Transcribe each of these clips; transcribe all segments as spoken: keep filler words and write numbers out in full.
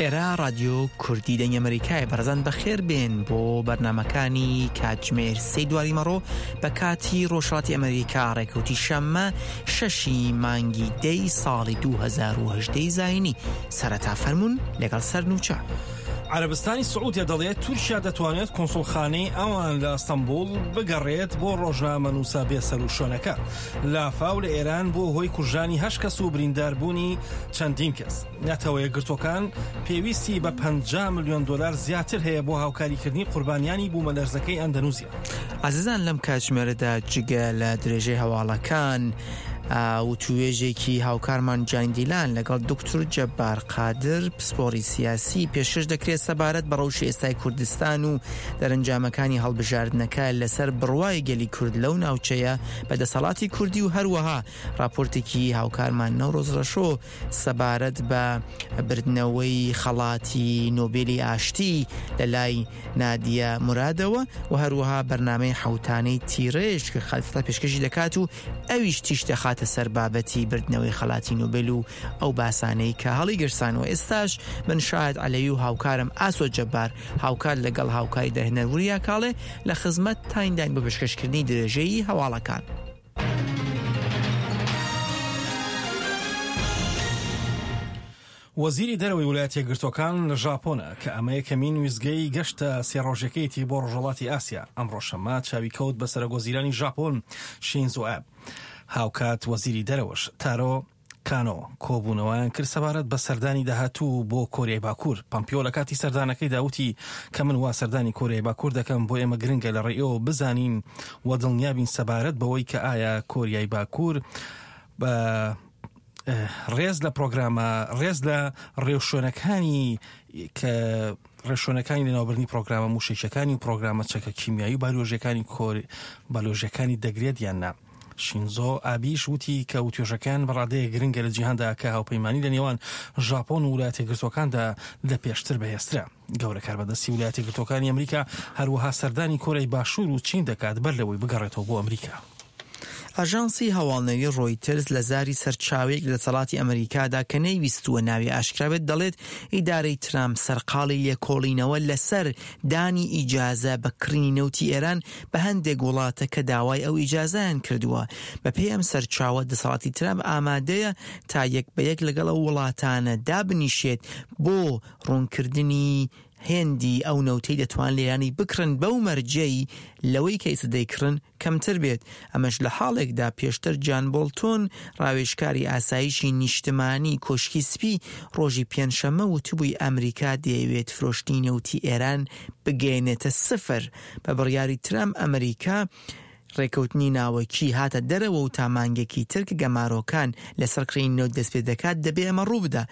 ئێرە ڕادیۆ کوردی دەنگی ئەمریکایە. بەڕێزان بەخێر بێن بۆ بەرنامەکانی کاتژمێر سێی دواریمەڕۆ بە کاتی ڕۆژهەڵاتی ئەمریکا، ڕێکەوتی شەممە شەشی مانگی دەی ساڵی دوو هەزار و هەژدە زایینی. سەرەتا فەرمونون لەگەڵ سەرنوچە. عەرەبستانی سعودیە دەڵێت تورکیا دەتوانێت کونسوڵخانەی ئەوان لە ئەستەنبوڵ بگەڕێت بۆ ڕۆژنامەنووسە بێسەروشوێنەکە. لافاو لە ئێران بووە هۆی کوژرانی هەشت کەس و برینداربوونی چەندین کەس. نەتەوە یەکگرتووەکان پێویستی بە پەنجا ملیۆن دۆلار زیاتر هەیە بۆ هاوکاریکردنی قوربانیانی بوومەلەرزەکەی ئەندەنوزیا. ئازیزان لەم کاتژمێرەدا جگە لە درێژەی هەواڵەکان وتوێژێکی هاوکارمان جان دیلان لەگەڵ دکتور جەبار قادر پسپۆڕی سیاسی پێشکەش دەکرێت سەبارەت بە ڕەوشی ئێستای کوردستان و دەرەنجامەکانی هەڵبژاردنەکە لەسەر بڕوای گەلی کورد لەو ناوچەیە بە دەسەڵاتی کوردی و هەروەها راپۆرتێکی هاوکارمان نەورۆز ڕەشۆ سەبارەت بە بردنەوەی خەڵاتی نۆبێلی ئاشتی لە لای نادیە مرادەوە و هەروەها بەرنامەی حوتانەی تیرێژ کە خەڵفتا پێشکەشی دەکات و ئەویش تیش دەخاتە سەر بابەتی بردنەوەی خەڵاتی نۆبێل و ئەو باسانەی کە هەڵیگرسان و ئێستاش من شاهد عەلەوی و هاوکارم ئاسۆ جەبار هاوکار لەگەڵ هاوکاری دەرهێنەر وریا کاڵێ لە خزمەت تاینداین بۆ پێشکەشکردنی درێژەی هەواڵەکان. وەزیری دەرەوەی ویلایەتە یەکگرتووەکان لە ژاپۆنە کە ئەمە یەکەمین ویستگەی گەشتە سێ ڕۆژەکەیەتی بۆ ڕۆژهەڵاتی ئاسیا. ئەمڕۆ شەممە چاوی کەوت بە سەرۆک وەزیرانی ژاپۆن شینزۆ ئابێ. هاوکات وەزیری دەرەوەش تارۆ کانۆ کۆبوونەوەیان کرد سەبارەت بە سەردانی داهاتوو بۆ کۆریای باکوور. پەمپیۆ لە کاتی سەردانەکەیدا وتی کە من وا سەردانی کۆریای باکوور دەکەم بۆ ئێمە گرنگە لە ڕێیەوە بزانین و دڵنیابین سەبارەت بەوەی کە ئایا کۆریای باکوور بە ڕێز لە پرۆگرامە ڕێز لە ڕێوشوێنەکانی کە ڕێوشوێنەکانی لەناوبردنی پرۆگرامە موشەکیەکانی و پرۆگرامە چەکە کیمیایی و بایۆلۆژیەکانی کۆر بایۆلۆژیەکانی دەگرێت یان نا. شینزۆ ئابیش وتی کە وتوێژەکان بەڕادەیە گرنگە لە جیهاندا کە هاوپەیمانی لە نێوان ژاپۆن و ویلایەتە یەکگرتووەکاندا لە پێشتر بەهێزترە. گەورە کاربەدەستی ویلایەتە یەکگرتووەکانی ئەمریکا هەروەها سەردانی کۆریای باشوور و چین دەکات بەر لەوەی بگەڕێتەوە بۆ ئەمریکا. ئاژانسی هەواڵنێری ڕۆیتەرز لە زاری سەرچاوەیەک لە دەسەڵاتی ئەمریکادا کە نەیویستووە ناوی ئاشکرا بێت دەڵێت ئیدارەی ترامپ سەرقاڵی لێکۆڵینەوە لەسەر دانی ئیجازە بە کڕینی نەوتی ئێران بە هەندێک وڵاتە کە داوای ئەو ئیجازەیان کردووە. بەپێی ئەم سەرچاوە دەسەڵاتی ترامپ ئامادەیە تا یەک بە یەک لەگەڵ ئەو وڵاتانە دابنیشێت بۆ ڕوونکردنی هێندی ئەو نەوتەی دەتوان لێرانی بکڕن بەو مەرجەی لەوەی کە ئێستا دەیکڕن کەمتر بێت. ئەمەش لە حاڵێکدا پێشتر جان بۆڵتۆن ڕاوێژکاری ئاسایشی نیشتمانی کۆشکی سپی ڕۆژی پێنجشەممە وتبووی ئەمریکا دەیەوێت فرۆشتنی نەوتی ئێران بگەیەنێتە سفر. بە بڕیاری ترامپ ئەمریکا ڕێکەوتنی ناوەکی هاتە دەرەوە و تا مانگێکی تر کە گەمارۆکان لەسەر کڕینی نەوت دەست پێ دەکات دەبێ ئەمە ڕوو بدا.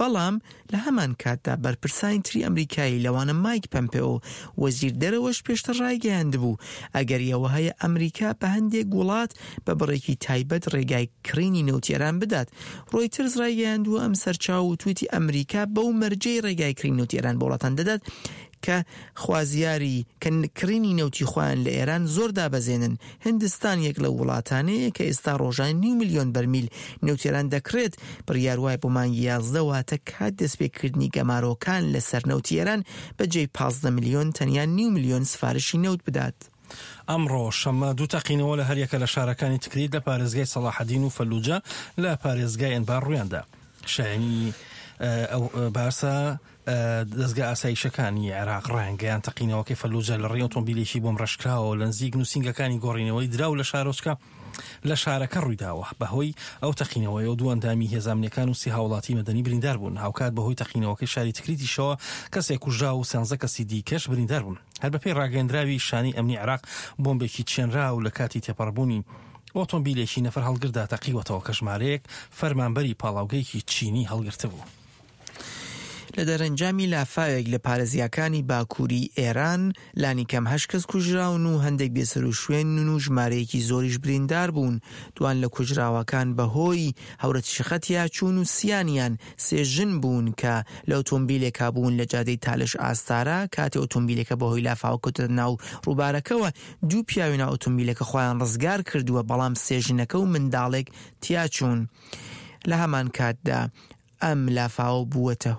بەڵام لە هەمان کاتدا بەرپرسانی تری ئەمریکایی لەوانە مایک پەمپئۆ وەزیر دەرەوەش پێشتر ڕایگەیاندبوو ئەگەر ئەوە هەیە ئەمریکا بە هەندێک وڵات بە بڕێکی تایبەت ڕێگای کڕینی نەوتی ئێران بدات. ڕۆیتەرز ڕایگەیاندووە ئەم سەرچاو و تویتی ئەمریکا بەو مەرجەی ڕێگای کڕینی نەوتی ئێران بۆ وڵاتان دەدات کە خوازیاری کە کڕینی نەوتی خۆیان لە ئێران زۆر دابەزێنن. هندستان یەک لەو وڵاتانەیە کە ئێستا ڕۆژان نیو ملیۆن بەرمیل نەوتی ئێران دەکڕێت. بڕیار وایە بۆ مانگی یازدە واتە کات دەستپێکردنی گەمارۆکان لەسەر نەوتی ئێران بەجێی پازدە ملیۆن تەنیا نیو ملیۆن سفارشی نەوت بدات. ئەمڕۆ شەممە دوو تەقینەوە لە هەریەکە لە شارەکانی تکریت لە پارێزگای سەڵاحەدین و فەلوجە لە پارێزگای ئەنبار ڕوویاندا. شایانی ئەو باسە دەستگا ئاسایشەکانی عێراق ڕایانگەیان تەقینەوەکەی فەلوجە لە ڕێی ئۆتۆمبیلێکی بۆم ڕەشکراوە لە نزیک نووسینگەکانی گۆڕینەوەی دراو لە شارۆچکە لە شارەکە ڕوویداوە. بەهۆی ئەو تەقینەوەیەوە دوو ئەندامی هێزامنیەکان و سێ هاوڵاتی مەدەنی بریندار بوون. هاوکات بەهۆی تەقینەوەکەی شاری تکریتیشەوە کەسێک کوژرا و سیانزە کەسی دیکەش بریندار بوون. هەر بەپێی ڕاگەیەندراوی شانەی ئەمنی عێراق بۆمبێکی چێنراو لە کاتی تێپەڕبوونی ئۆتۆمبیلێکی نەفەر هەڵگردا تەقیوەتەوە کە ژمارەیەک فەرمانبەری پاڵاوگەیەکی چینی هەڵگرتبوو. لە دەرەنجامی لافاوێک لە پارێزگاکانی باکووری ئێران لانی کەم هەشت کەس کوژراون و هەندێک بێسەروشوێنن و ژمارەیەکی زۆریش بریندار بوون. دوان لە کوژراوەکان بەهۆی هەورەتریشقە چوون و سیانیان سێ ژن بوون کە لە ئۆتۆمبیلێکا بوون لە جادەی تالش ئاستارا. کاتێ ئۆتۆمبیلەکە بەهۆی لافاوە کەوتە ناو ڕووبارەکەوە دوو پیاوی ناو ئۆتۆمبیلەکە خۆیان ڕزگار کردووە، بەڵام سێ ژنەکە و منداڵێک تیاچوون. لە هەمان کاتدا ئەم لافاوە بووەتە